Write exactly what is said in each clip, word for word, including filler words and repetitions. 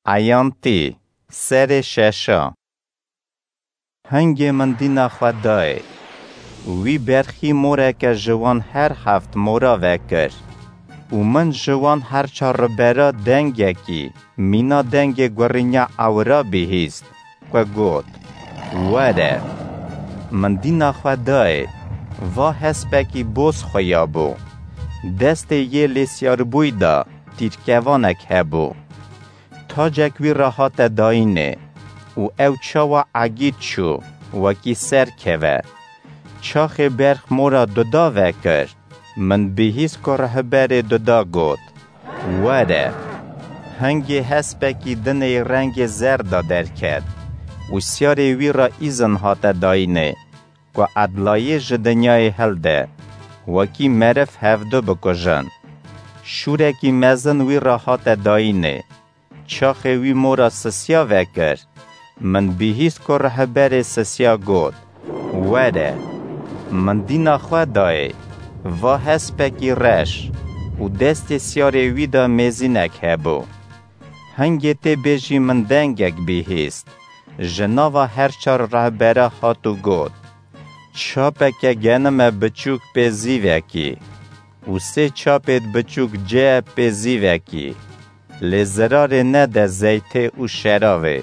Eyantî, serê şeşa. Hingê min dîna xwe dayê. Wî berxî moreke ji wan her heft mora vekir û min ji wan her çar ribera dengekî mîna dengê gurînya ewira bihîst ku got, "Were." Min dîna xwe dayê, va hespekî boz xuya bû. Destê yê lêsyarbûyî de tîrkevanek hebû. Tacek wî re hate dayînê û ew çawa egît çû, wekî ser keve. Çaxê berx mora duda vekir, min bihîst ku rihberê duda got, "Were." Hingê hespekî dinê rengê zer de derket û siyarê wî re îzin hate dayînê ku edlayê ji dinyayê hilde, wekî meriv hevdu bikujin. Şûrekî mezin wî re hate dayînê. Çaxê wî mora sisiya vekir, min bihîst ku rihberê sisiya got, "Were." Min dîna xwe dayê, va hespekî reş û destê siyarê wî de mêzînek hebû. Hingê tê bêjî min dengek bihîst, ji nava her çar rehbera hat û got, "Çapeke genime biçûk pê zîvekî û sê çapêd biçûk cê pê zîvekî, lê zirarê nede zeytê û şeravê."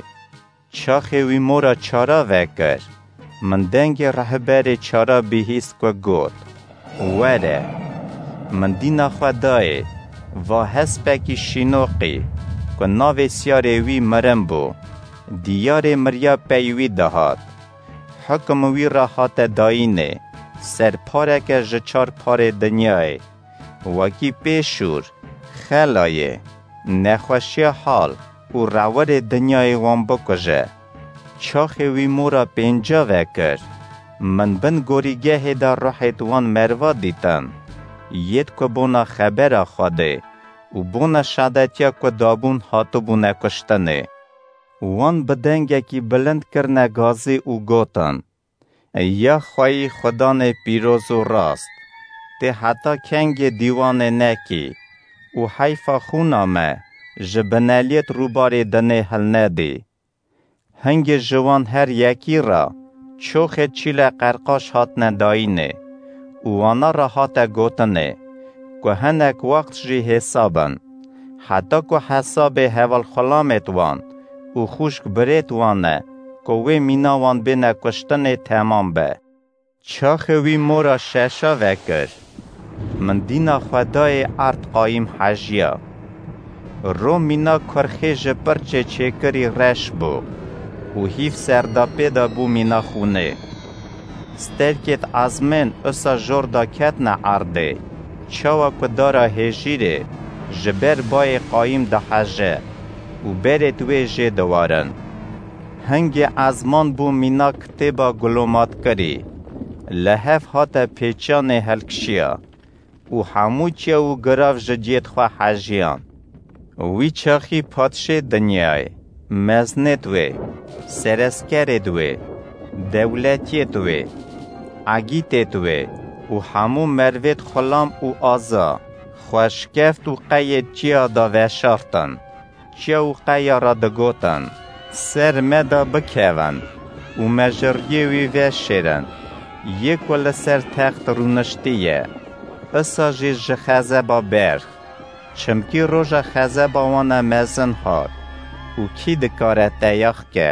Çaxê wî mora çara vekir, min dengê rehberê çara bihîst ku got, "Were." Min dîna xwe dayê, va hespekî şînoqî ku navê siyarê wî mirin bû, diyarê miriya pey wî dihat. Hukum wî re hate dayînê, ser pareke ji çar parê dinyayê, wekî pê şûr, xelayê, nexweşiya hal û rewirê dinyayê wan bikuje. Çaxê wî mora pênca vekir, min bin gorîgehê de ruhêd wan merva dîtin, yêd ku bona xebera Xwedê û bona şadetiya ku dabûn hatibûne kuştinê. Wan bi dengekî bilind kirine gazî û gotin, "Ya xweyî Xudanê pîroz û rast, tê heta kengê dîwanê nekî û heyfa xûna me ji bineliyêt rûbarê dinê hilnedî." Hingê ji wan her yekî re çoxê çîle qerqaş hatine dayînê û wana re hate gotinê ku hinek wext jî hêsa bin, heta ku hesabê hevalxulamêt wan û xûşk birêt wan e ku wê mîna wan bêne kuştinê temam be. Çaxê wî mora şeşa vekir, min dîna xwe dayê erd qayîm hejiya. Ro mîna kurxê ji pirçê çêkirî reş bû û hîv serdapê de bû mîna xûnê. Sterkêt ezmên usa jor de ketine erdê, çawa ku dara hêjîrê ji ber bayê qayîm diheje û berêt wê jê diwarin. Hingê ezman bû mîna kitêba gulomatkirî, li hev hate pêçanê hilkişiya û hemû çiya û girav ji ciyêt xwe hejiyan. Wî çaxî padşê dinyayê, meznêt wê, sereskerêt wê, dewletiyêt wê, egîtêt wê û hemû mervêt xulam û aza, xweşkeft û qeyê çiya de veşartin. Çiya û qeya re digotin, "Ser me de bikevin û me ji riyê wî veşêrin, yê ku li ser text rûniştiye, isa jî ji xezeba berx. Çimkî roja xezeba wan e mezin hat û kî dikare te yax ke?"